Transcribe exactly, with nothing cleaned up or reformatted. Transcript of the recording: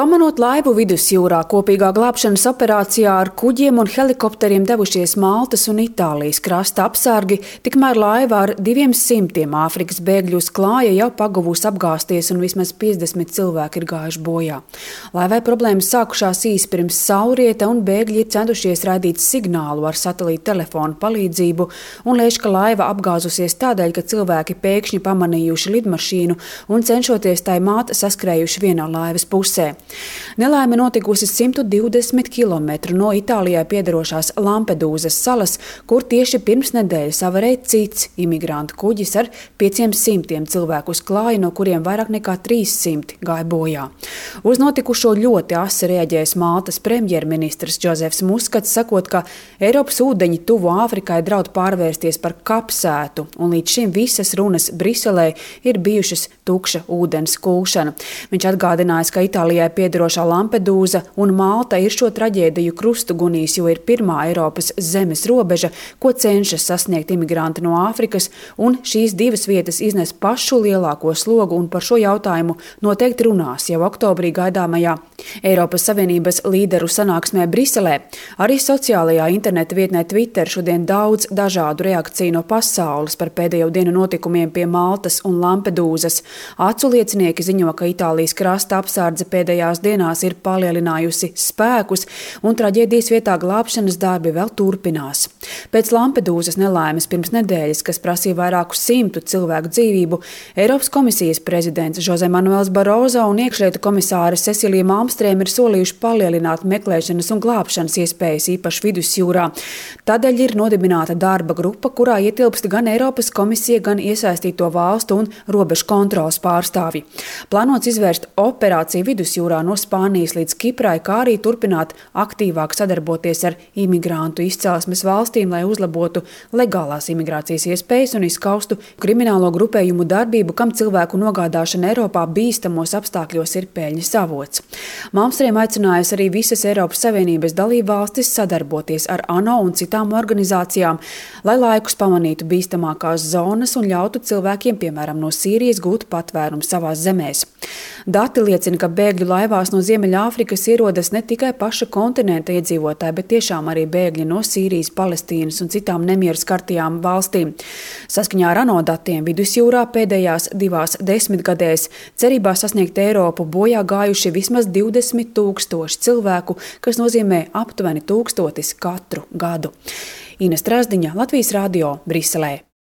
Pamanot laivu vidusjūrā, kopīgā glābšanas operācijā ar kuģiem un helikopteriem devušies Maltas un Itālijas krasta apsargi, tikmēr laiva ar diviem simtiem Āfrikas bēgļu uz klāja jau paguvusi apgāzties un vismaz piecdesmit cilvēki ir gājuši bojā. Laivai problēmas sākušās īsi pirms saulrieta un bēgļi ir centušies raidīt signālu ar satelīta telefonu palīdzību un lēš, ka laiva apgāzusies tādēļ, ka cilvēki pēkšņi pamanījuši lidmašīnu un cenšoties tai māt saskrējuši vienā laivas pusē. Nelaime notikusi simt divdesmit kilometru no Itālijai piederošās Lampedūzas salas, kur tieši pirms nedēļas avarēja cits imigrantu kuģis ar pieciem simtiem cilvēku uz klāja, no kuriem vairāk nekā trīs simti gāja bojā. Uz notikušo ļoti asi reaģējis Maltas premjerministrs Džozefs Muskats, sakot, ka Eiropas ūdeņi tuvu Āfrikai draud pārvērsties par kapsētu, un līdz šim visas runas Briselē ir bijušas tukša ūdens kūšana. Viņš atgādinājis, ka Itālijai piederošā Lampedūza un Malta ir šo traģēdiju krustu gunījis, jo ir pirmā Eiropas zemes robeža, ko cenšas sasniegt imigranti no Āfrikas, un šīs divas vietas iznes pašu lielāko slogu, un par šo jautājumu noteikti runās jau oktobrī gaidāmajā Eiropas Savienības līderu sanāksmē Briselē. Arī sociālajā interneta vietnē Twitter šodien daudz dažādu reakciju no pasaules par pēdējo dienu notikumiem pie Maltas un Lampedūzas. Acu liecinieki ziņo, ka Itālijas krasta apsardze pēdējās dienās ir palielinājusi spēkus, un traģēdijas vietā glābšanas darbi vēl turpinās. Pēc Lampedūzas nelaimes pirms nedēļas, kas prasīja vairāku simtu cilvēku dzīvību, Eiropas komisijas prezidents Jose Manuels Barozo un iekšlietu komisāre Cecilija Malmstrēma ir solījuši palielināt meklēšanas un glābšanas iespējas īpaši vidusjūrā. Tādēļ ir nodibināta darba grupa, kurā ietilpst gan Eiropas komisija, gan iesaistīto valstu un robežu kontroles pārstāvji. Plānots izvērst operāciju vidusjūrā no Spānijas līdz Kiprai, kā arī turpināt aktīvāk sadarboties ar imigrantu izcelsmes valstīm, lai uzlabotu legālās imigrācijas iespējas un izskaustu kriminālo grupējumu darbību, kam cilvēku nogādāšana Eiropā bīstamos apstākļos ir peļņas avots. Malmstrēma aicinājusi arī visas Eiropas Savienības dalību valstis sadarboties ar ANO un citām organizācijām, lai laikus pamanītu bīstamākās zonas un ļautu cilvēkiem, piemēram, no Sīrijas, gūt patvērumu savās zemēs. Dati liecina, ka bēgļu laivās no Ziemeļāfrikas ierodas ne tikai paša kontinenta iedzīvotāji, bet tiešām arī bēgļi no Sīrijas, Palestīnas un citām nemieru skartajām valstīm. Saskaņā ar ANO datiem vidusjūrā pēdējās divās desmitgadēs cerībā sasniegt Eiropu bojā gājuši vismaz divdesmit tūkstoši cilvēku, kas nozīmē aptuveni tūkstotis katru gadu. Ines Trasdiņa, Latvijas radio, Briselē.